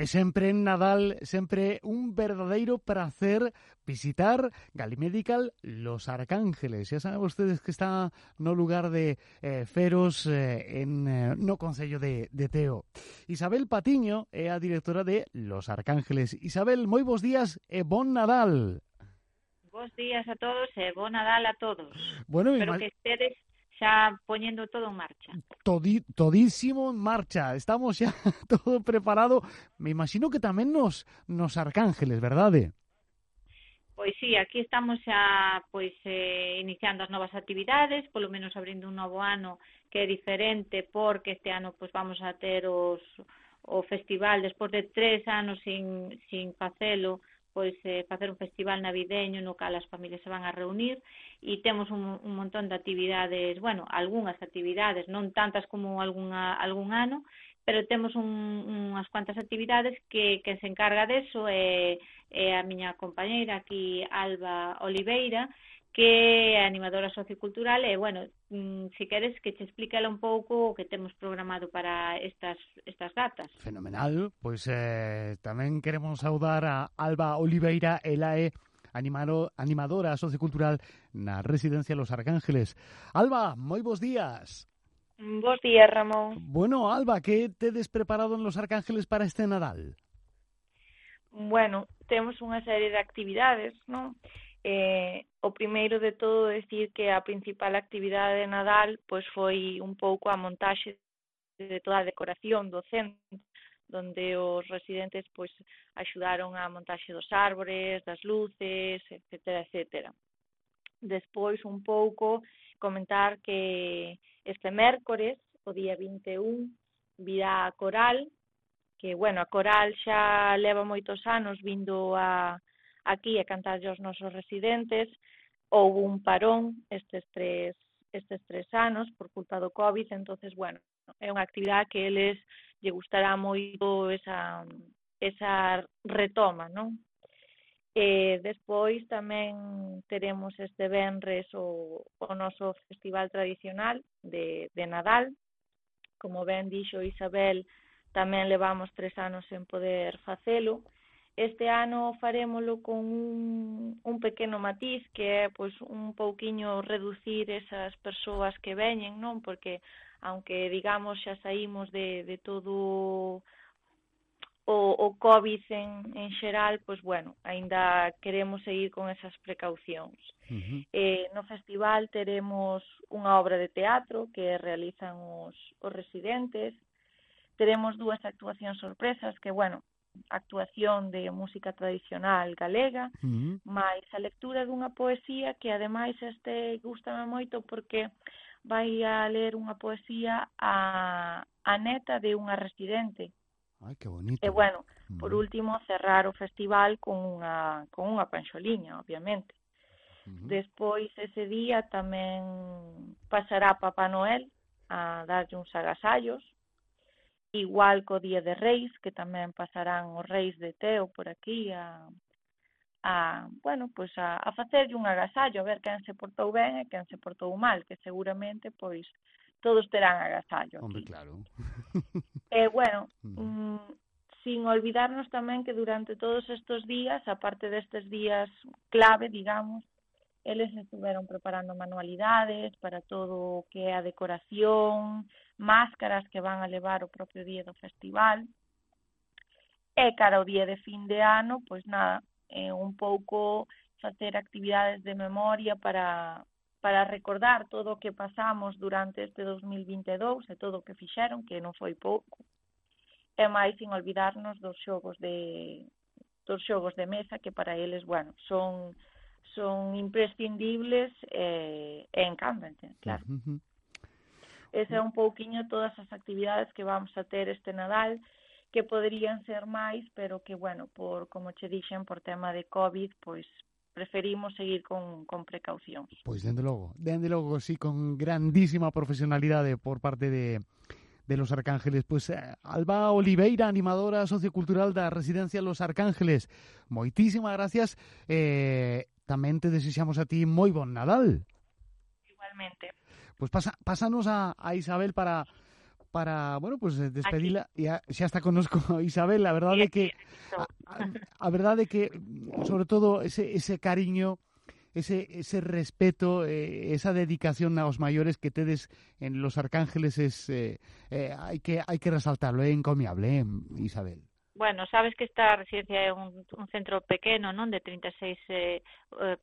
E sempre en Nadal, sempre un verdadeiro prazer visitar Galimedical Los Arcángeles. Xa saben vostedes que está no lugar de Feros no Concello de Teo. Isabel Patiño é a directora de Los Arcángeles. Isabel, moi bons días e bon Nadal. Bos días a todos e bon Nadal a todos. Bueno, espero que estedes xa poñendo todo en marcha. Todísimo en marcha. Estamos xa todo preparado. Me imagino que tamén nos Arcángeles, verdade? Pois sí, aquí estamos xa iniciando as novas actividades, polo menos abrindo un novo ano que é diferente, porque este ano vamos a ter o festival despois de 3 anos sin facelo, facer un festival navideño no cal as familias se van a reunir e temos un montón de actividades, algunhas actividades, non tantas como algún ano, pero temos unhas cuantas actividades que se encarga deso é a miña compañeira aquí, Alba Oliveira, que é animadora sociocultural e, si queres que te explique ela un pouco o que temos programado para estas datas. Fenomenal, pois tamén queremos saudar a Alba Oliveira, ela é animadora sociocultural na Residencia Los Arcángeles. Alba, moi bons días. Bos días, Ramón. Bueno, Alba, que tedes preparado en Los Arcángeles para este Nadal? Bueno, temos unha serie de actividades, non? O primeiro de todo decir que a principal actividade de Nadal foi un pouco a montaxe de toda a decoración do centro, donde os residentes axudaron a montaxe dos árbores, das luces, etcétera. Despois un pouco comentar que este mércores, o día 21, virá a Coral, que, a Coral xa leva moitos anos vindo aquí a cantarlle aos nosos residentes. Houve un parón estes tres anos por culpa do COVID, entonces, é unha actividade que eles lle gustará moito esa retoma, non? E despois tamén teremos este venres o noso festival tradicional de Nadal. Como ben dixo Isabel, tamén levamos 3 anos sen poder facelo. Este ano farémolo con un pequeno matiz, que é un pouquiño reducir esas persoas que veñen, non? Porque, aunque digamos xa saímos de todo o COVID en xeral, aínda queremos seguir con esas precaucións. No festival teremos unha obra de teatro que realizan os residentes. Teremos 2 actuacións sorpresas que, actuación de música tradicional galega, máis a lectura dunha poesía que, ademais, gústame moito porque vai a ler unha poesía a neta de unha residente. Ai, que bonito. E, por último, cerrar o festival con unha panxoliña, obviamente. Despois, ese día, tamén pasará Papá Noel a darlle uns agasallos, igual co Día de Reis, que tamén pasarán os Reis de Teo por aquí a facerlle un agasallo, a ver quen se portou ben e quen se portou mal, que seguramente, todos terán agasallo. Hombre, claro. E, sin olvidarnos tamén que durante todos estes días, aparte destes días clave, digamos, eles estuveron preparando manualidades para todo o que é a decoración, máscaras que van a levar o propio día do festival. E cara ao día de fin de ano, un pouco facer actividades de memoria para recordar todo o que pasamos durante este 2022 e todo o que fixeron, que non foi pouco. E máis sin olvidarnos dos xogos de mesa, que para eles, son imprescindibles e encántanse, claro. Ese é un pouquiño todas as actividades que vamos a ter este Nadal, que poderían ser máis, pero que, como che dixen, por tema de COVID, preferimos seguir con precaucións. Pois, dende logo, sí, con grandísima profesionalidade por parte de Los Arcángeles. Alba Oliveira, animadora sociocultural da Residencia Los Arcángeles, moitísimas gracias. Tamén te desexamos a ti moi bon Nadal. Igualmente. Pásanos a Isabel para para, bueno, pues despedila. Xa está connosco Isabel, a verdade é que a verdade é que sobre todo ese cariño, ese respeto, esa dedicación aos maiores que tedes en Los Arcángeles hai que resaltarlo, é encomiable, Isabel. Bueno, sabes que esta residencia é un centro pequeno, non? De 36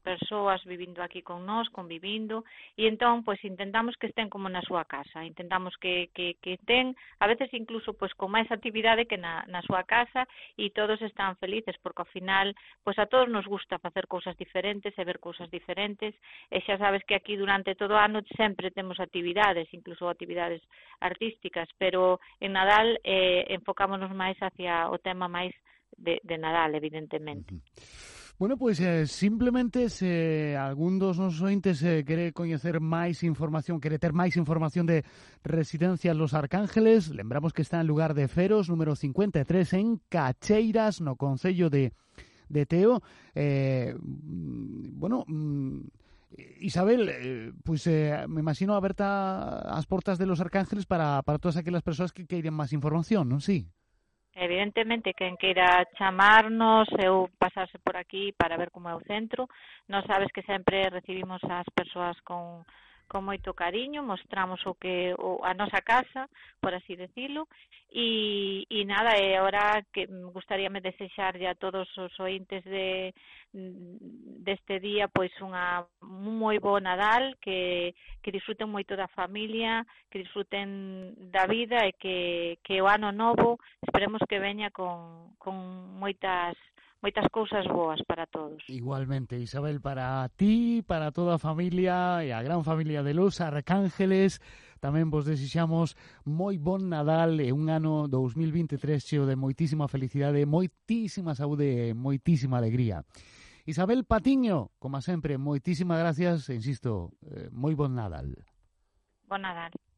persoas vivindo aquí con nós, convivindo, e entón, pois, intentamos que estén como na súa casa, intentamos que estén, a veces incluso, pois, con máis actividade que na súa casa, e todos están felices, porque ao final, pois, a todos nos gusta facer cousas diferentes e ver cousas diferentes, e xa sabes que aquí durante todo o ano sempre temos actividades, incluso actividades artísticas, pero en Nadal enfocámonos máis hacia o tema máis de Nadal, evidentemente. Bueno, pois simplemente se algún dos nosos ointes quere coñecer máis información, quere ter máis información de Residencia Los Arcángeles, lembramos que está en lugar de Feros, número 53, en Cacheiras, no concello de Teo. Bueno, Isabel, pois me imagino aberta as portas de Los Arcángeles para todas aquelas persoas que queiren máis información, non? Sí. Evidentemente, quen queira chamarnos ou pasarse por aquí para ver como é o centro, nós sabes que sempre recibimos as persoas con moito cariño, mostramos a nosa casa, por así decirlo, e nada, e agora que gustaríame desexarlle a todos os ointes deste día pois un moi bo Nadal, que disfruten moito da familia, que disfruten da vida e que o ano novo esperemos que veña con moitas cousas boas para todos. Igualmente, Isabel, para ti, para toda a familia e a gran familia de Los Arcángeles, tamén vos desexamos moi bon Nadal e un ano 2023 cheo de moitísima felicidade, moitísima saúde e moitísima alegría. Isabel Patiño, como sempre, moitísimas gracias, insisto, moi bon Nadal. Bon Nadal.